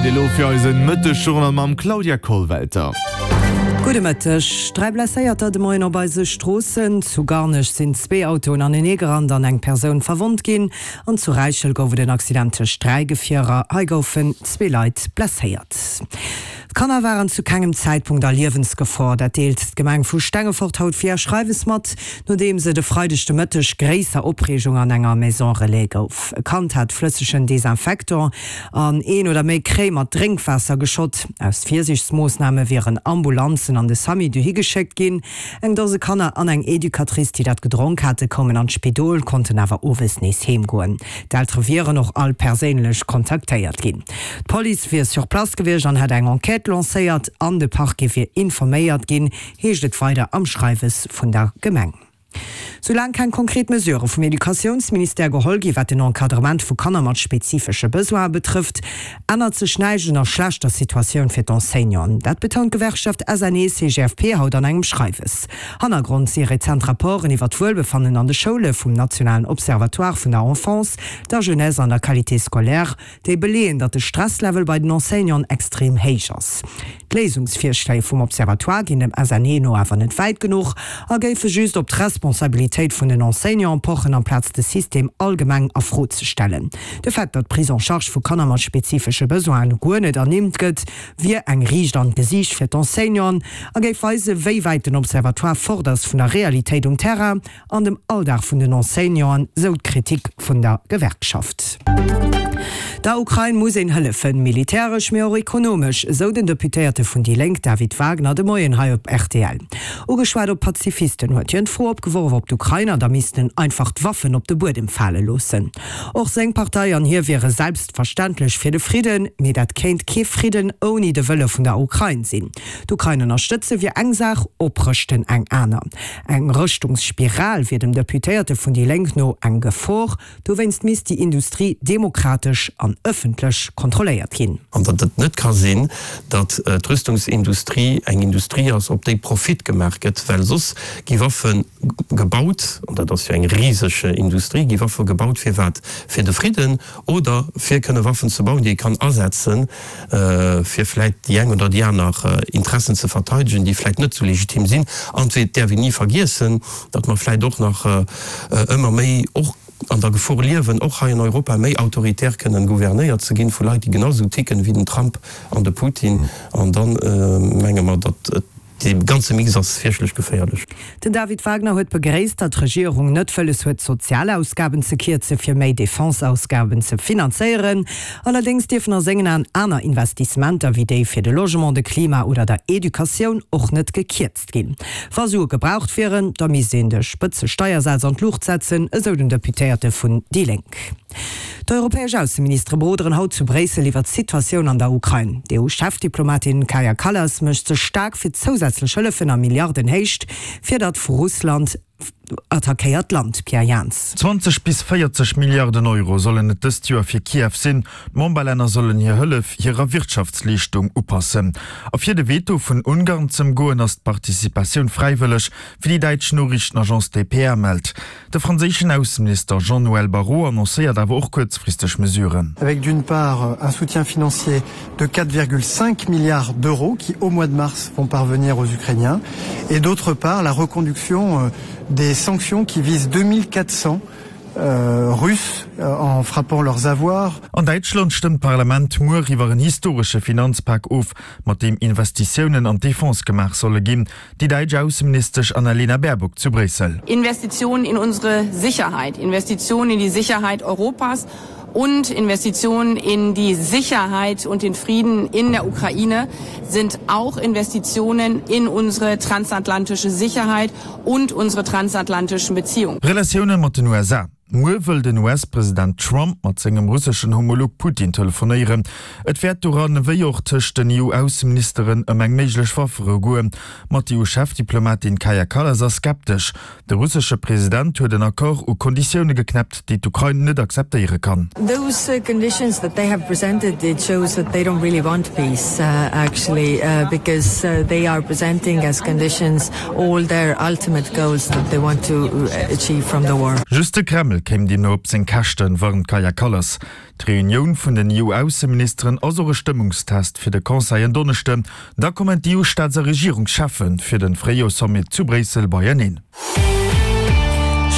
Zäit elo fir eisen Mëttesjournal mam Claudia Kollwelter. Gudde Mëtteg. 3 Blesséierter de Moien op eise Stroossen. Zu Garnech sinn zwee Autoen aneneegerannt an eng Persoun verwonnt ginn. An zu Räichel gouf et en Accident tëscht 3 Gefierer. Hei goufen zwee Leit blesséiert. D'Kanner waren zu kengem Zäitpunkt a Liewensgefor. Dat deelt d'Gemeng vu Stengefort haut via Schreiwes mat, nodeems et e Freideg de Mëtteg gréisser Opreegung an enger Maison Relais gouf. E Kand hat flëssegen Desinfectant an een oder méi Kréi mat Drénkwaasser geschott. Aus Virsiichtsmoossname wieren Ambulanzen an de Samy dohi geschéckt ginn. Eng Dose Kanner an eng Educatrice, déi dat gedronk hate, koumen an d'Spidol, konnten awer owes nees heem goen. D'Eltere wieren och all perséinlech kontaktéiert ginn. D'Police wier sur place gewiescht an hätt eng Enquête lancéiert an de Parquet wier informéiert ginn, heescht et weider am Schreiwes vun der Gemeng. Soulaang keng konkret Mesurë vum Educatiounsministère geholl gi wat den Encadrement vu Kanner mat spezifesche Besoine betrëfft, ännert sech näischt un der schlechter Situatioun fir d'Enseignanten. Dat betount d'Gewerkschaft SNE-CGFP haut an engem Schreiwes. Hannergrond si rezent Rapporten iwwer d'Wuelbefannen an de Schoule vum nationalen Observatoire vun der Enfance, der Jeunesse an der Qualité scolaire, déi beleeën, datt de Stresslevel bei den Enseignanten extrem héich ass. D'Léisungsvirschléi vum Observatoire ginn dem SNE no awer net wäit genuch a géife just op d'Responsabilitéit vun den Enseignanten pochen, amplaz de System allgemeng a Fro ze stellen. De Fait, datt d'Prise en charge vu Kanner mat spezifesche Besoinen guer net ernimmt gëtt, wier eng Riicht an d'Gesiicht fir d'Enseignanten a géif weisen, wéi wäit den Observatoire fort ass vun der Realitéit um Terrain. An dem Alldag vun den Enseignanten, sou d'Kritik vun der Gewerkschaft. Der Ukrain muss een hëllefen, militäresch, mee och ekonomesch, esou den Deputéierte vun déi Lénk David Wagner de Moien hei op rtl. Ugeschwat op Pazifisten huet hien d'Fro opgeworf, ob d'Ukrainer da missten einfach d'Waffen op de Buedem fale loossen. Och seng Partei an hie wiere selbstverständlech fir de Fridden, mee dat kéint kee Fridden ouni de Wëlle vun der Ukrain sinn. D'Ukrain ënnerstëtze wier eng Saach, oprëschten eng aner. Eng Rëschtungsspiral wier dem Deputéierte vun déi Lénk no eng Gefor. Dowéinst misst déi Industrie demokratesch an ëffentlech kontrolléiert ginn. An datt et net ka sinn, datt d'Rüstungsindustrie eng Industrie ass, op déi Profit gemaach gëtt, well soss gi Waffe gebaut, an dat ass jo eng riseg Industrie, gi Waffe gebaut fir wat? Fir de Fridden oder fir kënne Waffen ze bauen, déi ee kann asetzen, fir vläit déi eng oder déi aner Interessen ze verteidegen, déi vläit net esou legitim sinn. An et däerf een ni vergiessen, datt mer vläit och nach ëmmer méi och an der Gefor liewen, och hei an Europa méi autoritär kënnen gouvernéiert ze ginn vu Leit, déi genau esou ticken wéi den Trump an de Putin. An da menge mer, datt et. Dee ganze Mix ass fierchtlech geféierlech. Den David Wagner huet begréisst, datt d'Regierung net wëlles huet, d'Sozialausgaben ze kierze fir méi Defense-Ausgaben ze finanzéieren. Allerdéngs dierfen a sengen Aen aner Investissementer, wéi déi fir de Logement, de Klima oder der Educatioun, och net gekierzt ginn. Wa Sue gebraucht wieren, da misst een de Spëtzesteiersaz an d'Luucht setzen, esou den Deputéierte vun déi Lénk. D'europäesch Ausseministere beroderen haut zu Bréissel iwwer d'Situatioun an der Ukrain. D'EU-Chefdiplomatin Kaja Kallas mécht sech staark fir zousätzlech Hëllefen a Milliardenhéicht fir dat vu Russland attackéiert Land. Pierre Jans. 20 bis 40 Milliarden Euro sollen et dëst Joer fir Kiew sinn. D'Memberlänner sollen hir Hëllef hirer Wirtschaftsleeschtung upassen. A fir de Veto vun Ungarn z'ëmgoen, ass d'Participatioun fräiwëlleg, wéi déi däitsch Noriichtenagence dpa mellt. De franséischen Ausseminister Jean-Noël Barrot annoncéiert awer och kuerzfristeg Mesuren. Avec d'une part un soutien financier de 4,5 milliards d'euros qui au mois de mars vont parvenir aux Ukrainiens et d'autre part la reconduction des sanctions qui visent 2400 Russes en frappant leurs avoirs. An Däitschland stëmmt d'Parlament muer iwwer en historesche Finanzpak of, mat deem Investitiounen an d'Defense gemaach solle ginn. Déi däitsch Ausseministesch Annalena Baerbock zu Bréissel. Investitionen in unsere Sicherheit, Investitionen in die Sicherheit Europas und Investitionen in die Sicherheit und den Frieden in der Ukraine sind auch Investitionen in unsere transatlantische Sicherheit und unsere transatlantischen Beziehungen. Relatioune mat den USA. Muer wëll den US-President Trump mat sengem russeschen Homolog Putin telefonéieren. Et wäert doran, wéi och tëscht den EU-Ausseministeren, ëm eng méiglech Wafferou goen. Ma d'EU-Chefdiplomatin Kaja Kallas ass skeptesch. De russesche President huet en Accord u Konditioune geknäppt, déi d'Ukrain net akzeptéiere kann. Those conditions that they have presented, it shows that they don't really want peace actually because they are presenting as conditions all their ultimate goals that they want to achieve from the war. Just de Kreml kéim deemno op seng Käschten, warnt d'Kaja Kallas. D'Reunioun vun den EU-Ausseministeren ass och e Stëmmungstest fir de Conseil en Donneschden. Da kommen d'EU-Staats a Regierungscheffe fir de Fréijoerssommet zu Bréissel beieneen.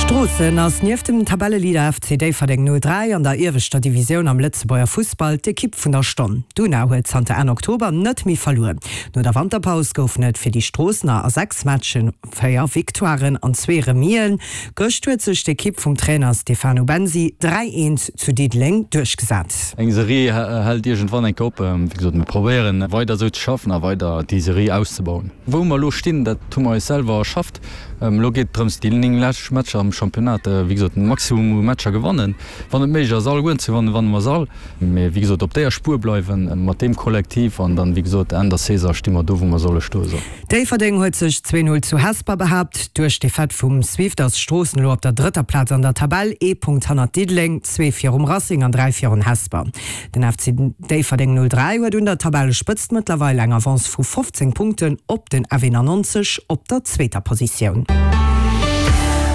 Stroossen ass nieft dem Tabelleleader FC Déifferdeng 03 an der ieweschter Divisioun am Lëtzebuerger Fussball d'Ekipp vun der Stonn. D'Una huet zanter Enn Oktober net méi verluer. No der Wanterpaus goufen et fir déi Stroossener a 6 Matchen 4 Victoiren an zwee Remis'en. Gëscht huet sech d'Ekipp vum Trainer Stefano Bensi 3, 1 zu Diddeleng duerchgesat. Eng Serie hält iergendwann eng Kéier op. Wéi gesot, mir probéieren weider esou ze schaffen a weider déi Serie auszebauen. Wou mer elo stinn, dat hu mer eis selwer erschafft. Elo geet et drëms, déi 9 lescht Matcher am Championnat, wéi gesot, den Maximum u Matcher gewannen. Wann et méiglech ass, allegueren ze gewannen, wanne mer se all. Mee wéi gesot, op déier Spuer bleiwen mat deem Kollektiv an dann, wéi gesot, Enn der Saison sti mer do, wou mer solle stoen. Déifferdeng huet sech 2, 0 zu Hesper behaapt. Duerch d'Defaite vum Swift ass Stroossen elo op der drëtter Plaz an der Tabell, ee Punkt hannert Diddeleng, zwee virum Racing an 3 virun Hesper. Den FC Déifferdeng 03 huet un der Tabellespëtzt mëttlerweil eng Avance vu 15 Punkten op den F91 op der zweeter Positioun.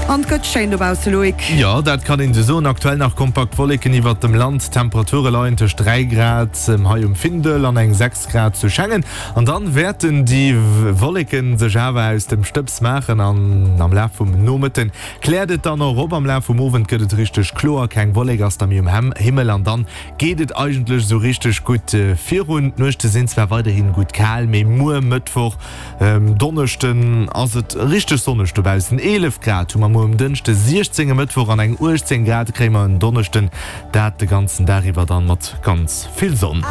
An 't gëtt schéin dobausse, Loïc. Jo, dat kann een esou soen. Aktuell nach kompakt Wolleken iwwert dem Land. D'Temperature leien tëscht 3 Grad hei um Findel an eng 6 Grad zu Schengen. An dann wäerten déi Wolleken sech awer aus dem Stëbs maachen an am Laf vum Nomëtten kläert et dann och op. Am Laf vum Owend gëtt et richteg kloer, keng Wollek ass da méi um Himmel an dann geet et eigentlech esou richteg gutt virun. D'Nuechte sinn zwar weiderhi gutt kal, mee muer Mëttwoch, Donneschden ass et richteg sonneg dobaussen. 11 Grad hu mer muer um Dënschde, 16 e Mëttwoch an eng 18 Grad kréie mer en Donneschden, dat de ganzen Dag iwwer dann mat ganz vill Sonn.